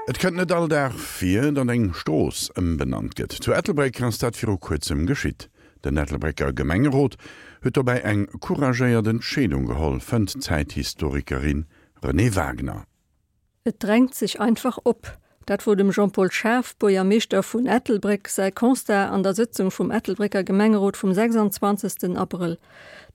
Et kënnt net all Dag vir, datt eng Strooss ëmbenannt gëtt. Zu Ettelbréck ass dat viru kuerzem geschitt. Den Ettelbrécker Gemengerot huet dobäi eng couragéiert Entscheedung geholl, fënnt d'Zäithistorikerin Renée Wagner. Et drängt sech einfach op. Dat wor dem Jean-Paul Schaaf, Buergermeeschter vun Ettelbréck, säi Constat an der Sëtzung vum Ettelbrécker Gemengerot vum 26. Abrëll.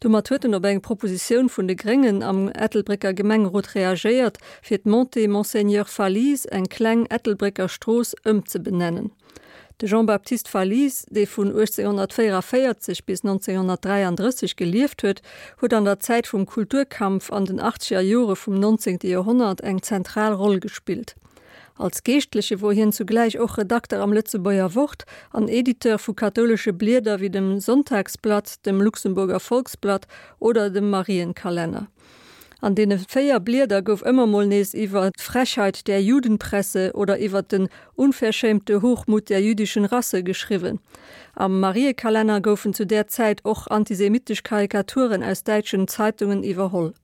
Domat huet en op eng Propositioun vun de Gréngen am Ettelbrécker Gemengerot reagéiert, fir d'Montée Monseigneur Fallize, eng kleng Ettelbrécker Strooss, ëmzebenennen. De Jean-Baptiste Fallize, dee vun 1844 bis 1933 gelieft huet, huet an der Zäit vum Kulturkampf an den achtzeger Jore vum nonzéngte Joerhonnert eng zentral Roll gespillt. Als Geeschtleche wor hien zugläich och Redakter am Lëtzebuerger Wort an Editeur vu kathoulesche Blieder wéi dem Sonntagsblatt, dem Luxemburger Volksblatt oder dem Marienkalenner. An deene 4 Blieder gouf ëmmer mol nees iwwer d'Frechheit der Judenpresse oder iwwer den unverschämte Hochmut der jüdischen Rasse geschriwwen. Am Mariekalenner goufen zu där Zäit och antisemitesch Karikaturen aus däitschen Zeitungen iwwerholl.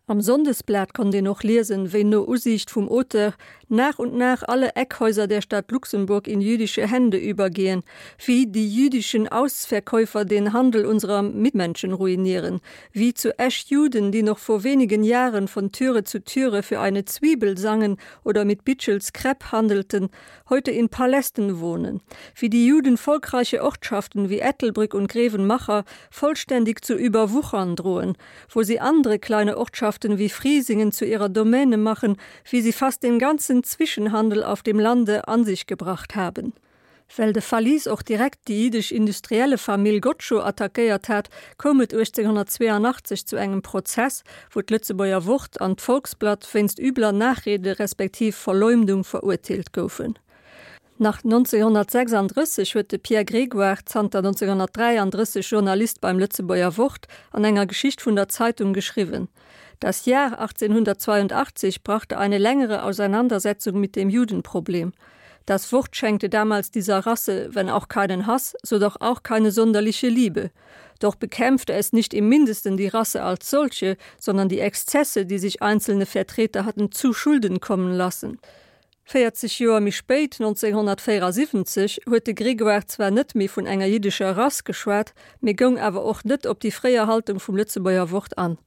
Am Sonndesblat konnt een och liesen, wéi no Usiicht vum Auteur nach und nach alle Eckhäuser der Stadt Luxemburg in jüdische Hände übergehen, wie die jüdischen Ausverkäufer den Handel unserer Mitmenschen ruinieren, wie zu Esch Juden, die noch vor wenigen Jahren von Türe zu Türe für eine Zwiebel sangen oder mit Bitschels Krepp handelten, heute in Palästen wohnen, wie die Juden volkreiche Ortschaften wie Ettelbrück und Grevenmacher vollständig zu überwuchern drohen, wo sie andere kleine Ortschaften wie Friesingen zu ihrer Domäne machen, wie sie fast den ganzen Zwischenhandel auf dem Lande an sich gebracht haben. Well de Fallize och direkt déi jiddesch Industriellefamill Gottschow attackéiert hat, koum et 1882 zu engem Prozess, wou d'Lëtzebuerger Wort an d'Volksblatt wéinst übler Nachrede respektiv Verleumdung verurteelt goufen. Nach 1936 huet de Pierre Grégoire, zanter 1933 Journalist beim Lëtzebuerger Wort, an enger Geschicht vun der Zeitung geschriwwen, Das Jahr 1882 brachte eine längere Auseinandersetzung mit dem Judenproblem. Das Wort schenkte damals dieser Rasse, wenn auch keinen Hass, so doch auch keine sonderliche Liebe. Doch bekämpfte es nicht im mindesten die Rasse als solche, sondern die Exzesse, die sich einzelne Vertreter hatten zu Schulden kommen lassen. 40 Joer méi spéit, 1974, huet de Grégoire zwar net méi vun enger jiddescher Rass geschwat, mee goung awer och net op déi fréier Haltung vum Lëtzebuerger Wort an.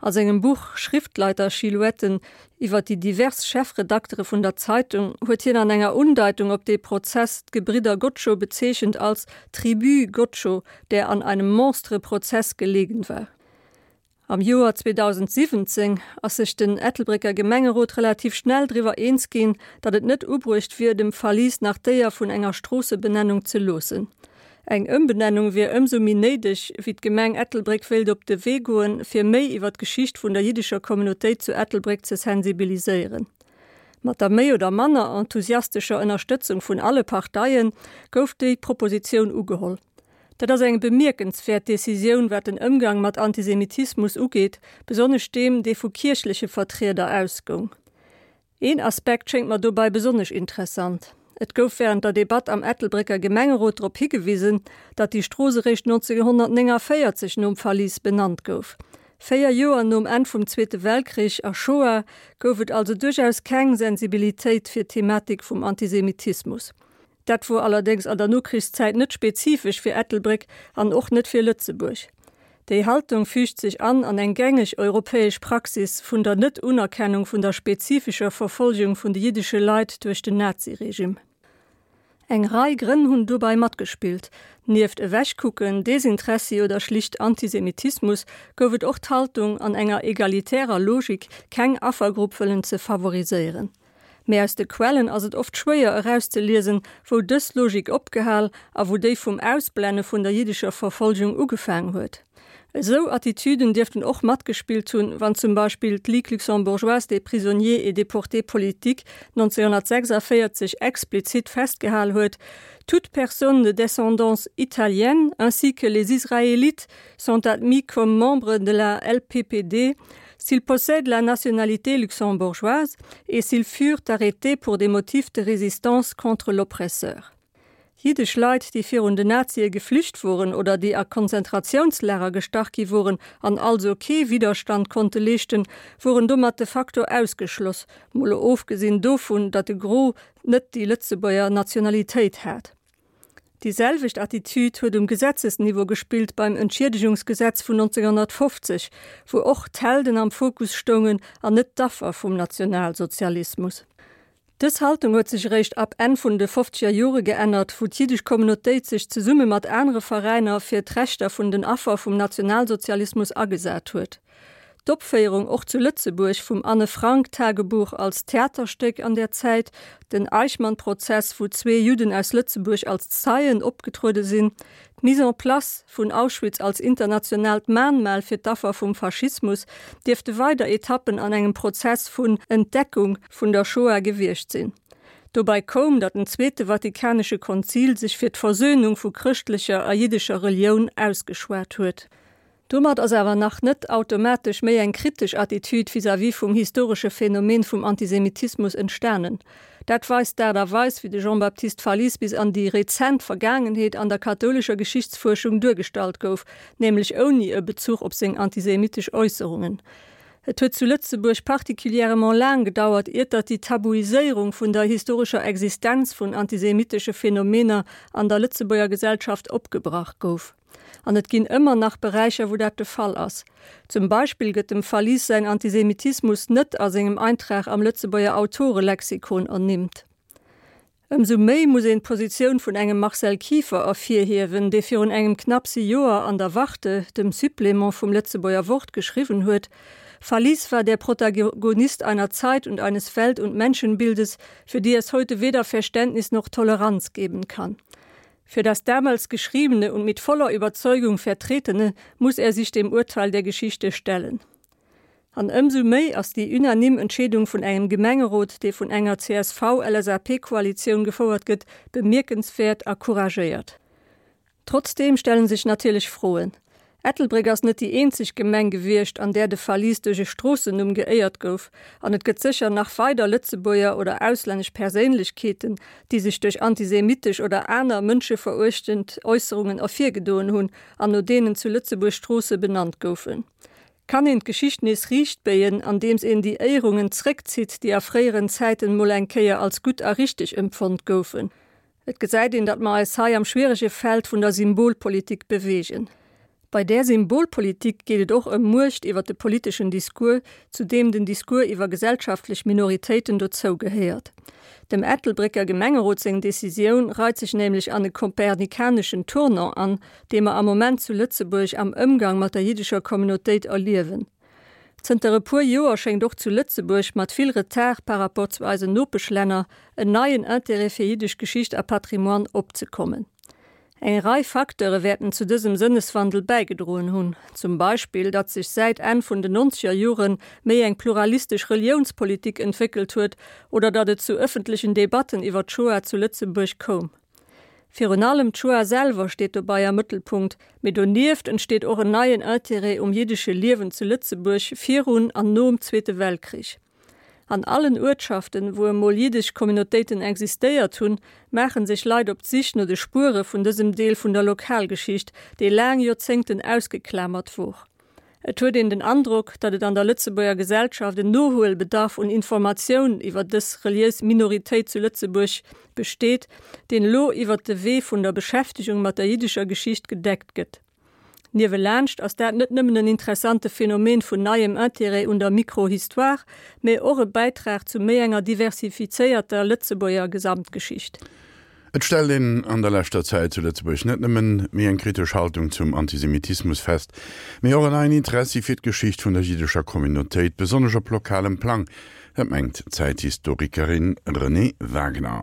A sengem Buch Schriftleitersilhouetten iwwer déi divers Chefredaktere vun der Zeitung huet hien an enger Undeitung op dee Prozess d'Gebridder Gottschow bezeechent als Tribu Gottschow, der an einem Monstre-Prozess gelegen war. Am Joer 2017 ass sech den Ettelbrécker Gemengerot relativ schnell driwwer eens ginn, datt et net ubruecht wier, dem Fallize nach d'Éier vun enger Stroossebenennung ze loossen. Eng Ëmbenennung wier ëmsou méi néideg, wéi d'Gemeng Ettelbréck wéilt op de Wee goen, fir méi iwwer d'Geschicht vun der jiddescher Communautéit zu Ettelbréck ze sensibiliséieren. Mat der méi oder manner enthusiastescher Ënnerstëtzung vun alle Parteie gouf déi Propositioun ugeholl. Dat ass eng bemierkenswäert Decisioun, wat den Ëmgang mat Antisemitismus ugeet, besonnesch deem, dee vu kierchleche Vertrieder ausgoung. Een Aspekt schéngt mer dobei besonnesch interessant, Et gouf wärend der Debatt am Ettelbrécker Gemengerot drop higewisen, datt déi Strooss eréischt 1949 nom Fallize benannt gouf. 4 Joer nom Enn vum Zweete Weltkrich a Shoah gouf et also duerchaus keng Sensibilitéit fir d'Thematik vum Antisemitismus. Dat wor allerdéngs an der Nokrichszäit net spezifesch fir Ettelbréck an och net fir Lëtzebuerg. Déi Haltung füügt sech an an eng gängeg europäesch Praxis vun der Net-Unerkennung vun der spezifescher Verfolgung vun de jiddesche Leit duerch den Naziregime. Eng Rei Grënn hunn dobei matgespillt. Nieft Ewechkucken, Desinteressi oder schlicht Antisemitismus gouf et och d'Haltung, an enger egalitärer Logik keng Affergrupp wëllen ze favoriséieren. Mee aus de Quellen ass et oft schwéier erauszeliesen, wou dës Logik opgehal a wou déi vum Ausblenne vun der jiddescher Verfolgung ugefaang huet. Esou Attitüden dierften och matgespillt hunn, wann zum Beispill d'Ligue luxembourgeoise des prisonniers et déportés politiques 1946 explizit festgehal huet, Toute personne de descendance italienne ainsi que les Israélites sont admis comme membres de la LPPD s'ils possèdent la nationalité luxembourgeoise et s'ils furent arrêtés pour des motifs de résistance contre l'oppresseur. Jiddesch Leit, déi virun den Nazie geflücht woren oder déi a Konzentratiounslager gestach gi woren an also kee Widderstand konnte leeschten, woren domat de facto ausgeschloss, mol ofgesinn dovun, datt de Gros net déi Lëtzebuerger Nationalitéit hat. Déi selwecht Attitüd huet um Gesetzesniveau gespillt beim Entschiedegungsgesetz vun 1950, wou och d'Helden am Fokus stoungen an net d'Affer vum Nationalsozialismus. Dës Haltung huet sech eréischt ab Enn vun de fofzeger Jore geännert, wou d'jiddesch Communautéit sech zesumme mat anere Veräiner fir d'Rechter vun den Affer vum Nationalsozialismus agesat huet. D'Opféierung och zu Lëtzebuerg vum Anne Frank Tagebuch als Theaterstéck an där Zäit, den Eichmann-Prozess, wou zwee Judden aus Lëtzebuerg als Zeien opgetruede sinn, D'Mise en place vun Auschwitz als internationaalt Mahnmal fir d'Affer vum Faschismus dierfte weider Etappen an engem Prozess vun Entdeckung vun der Shoah gewiescht sinn. Dobei koum, datt den Zweete Vatikanesche Konzil sech fir d'Versöhnung vu chrëschtlecher a jiddescher Relioun ausgeschwat huet. Domat ass awer nach net automatesch méi eng kritesch Attitüd vis-à-vis vum historesche Phänomen vum Antisemitismus entstanen. Dat weist d'Aart a Weis, wéi de Jean-Baptiste Fallize bis an déi rezent Vergaangenheet an der kathoulescher Geschichtsfuerschung duergestallt gouf, nämlech ouni e Bezuch op seng antisemitesch Äusserungen. Et huet zu Lëtzebuerg particulièrement laang gedauert, iert datt déi Tabuiséierung vun der historescher Existenz vun antisemitesche Phänomener an der Lëtzebuerger Gesellschaft opgebrach gouf. An et ginn ëmmer nach Beräicher, wou dat de Fall ass. Zum Beispill gëtt dem Fallize säin Antisemitismus net a sengem Eintrag am Lëtzebuerger Autorelexikon ernimmt. Ëmsou méi muss een d'Positioun vun engem Marcel Kieffer ervirhiewen, dee virun engem knappse Joer an der Warte, dem Supplément vum Lëtzebuerger Wort, geschriwwen huet, Fallize war der Protagonist einer Zeit und eines Welt und Menschenbildes, für die es heute weder Verständnis noch Toleranz geben kann. Für das damals Geschriebene und mit voller Überzeugung Vertretene muss er sich dem Urteil der Geschichte stellen. An ëmsou méi ass déi unanime Entscheedung vun engem Gemengerot, dee vun enger CSV-LSAP-Koalitioun gefouert gëtt, bemierkenswäert a couragéiert. Trotzdeem stelle sech natierlech Froen. Ettelbréck ass net déi eenzeg Gemeng gewiescht, an där de Fallize duerch e Stroossennumm geéiert gouf, an et gëtt sécher nach weider Lëtzebuerger oder auslännesch Perséinlechkeeten, déi sech duerch antisemitesch oder aner mënscheveruechtend Äusserungen ervirgedoen hunn an no deenen zu Lëtzebuerg Stroosse benannt goufen. Kann een d'Geschicht nees riichtbéien, andeems een déi Éierungen zréckzitt, déi a fréieren Zäiten mol eng Kéier als gutt a richteg empfonnt goufen? Et gesäit een, datt mer eis hei am schwierege Feld vun der Symbolpolitik beweegen. Bei där Symbolpolitik geet et och ëm Muecht iwwer de politeschen Discours, zu deem den Discours iwwer gesellschaftlech Minoritéiten dozou gehéiert. Dem Ettelbrécker Gemengerot seng Decisioun reit sech nämlech an e kopernikaneschen Tournant an, dee mer am Moment zu Lëtzebuerg am Ëmgang mat der jiddescher Communautéit erliewen. Zënter e puer Joer schéngt och zu Lëtzebuerg, mat vill Retard par rapport zu eisen Nopeschlänner, en neien Intérêt fir jiddesch Geschicht a Patrimoine opzekommen. Eng Rei Facteure wäerten zu dësem Sënneswandel bäigedroen hunn, zum Beispill, datt sech säit Enn vun den nonzeger Jore méi eng pluralistesch Reliounspolitik entwéckelt huet oder datt et zu ëffentlechen Debatten iwwer d'Shoah zu Lëtzebuerg koum. Virun allem d'Shoah selwer steet dobei am Mëttelpunkt, mee donieft entsteet och en neien Intérêt um jiddesche Liewen zu Lëtzebuerg virun an nom Zweete Weltkrich. An allen Uertschaften, wou emol jiddesch Communautéiten existéiert hunn, maache sech Leit op d'Sich no de Spuere vun dësem Deel vun der Lokalgeschicht, dee laang Joerzéngten ausgeklamert wor. Et huet een den Androck, datt et an der Lëtzebuerger Gesellschaft en Nohuelbedarf un Informatioun iwwer dës reliéis Minoritéit zu Lëtzebuerg besteet, deen elo iwwer de Wee vun der Beschäftegung mat der jiddescher Geschicht gedeckt gëtt. Niewelaanscht ass dat net nëmmen en interessante Phänomen vun neiem Intérêt un der Micro-Histoire, mä och e Bäitrag zu méi enger diversifizéierter Lëtzebuerger Gesamtgeschicht. Et stellt een an der leschter Zäit zu Lëtzebuerg net nëmmen méi eng kritesch Haltung zum Antisemitismus fest, mee och en neien Interessi fir d'Geschicht vun der jiddescher Communautéit, besonnesch op lokalem Plang. Dat mengt d'Zäithistorikerin Renée Wagener.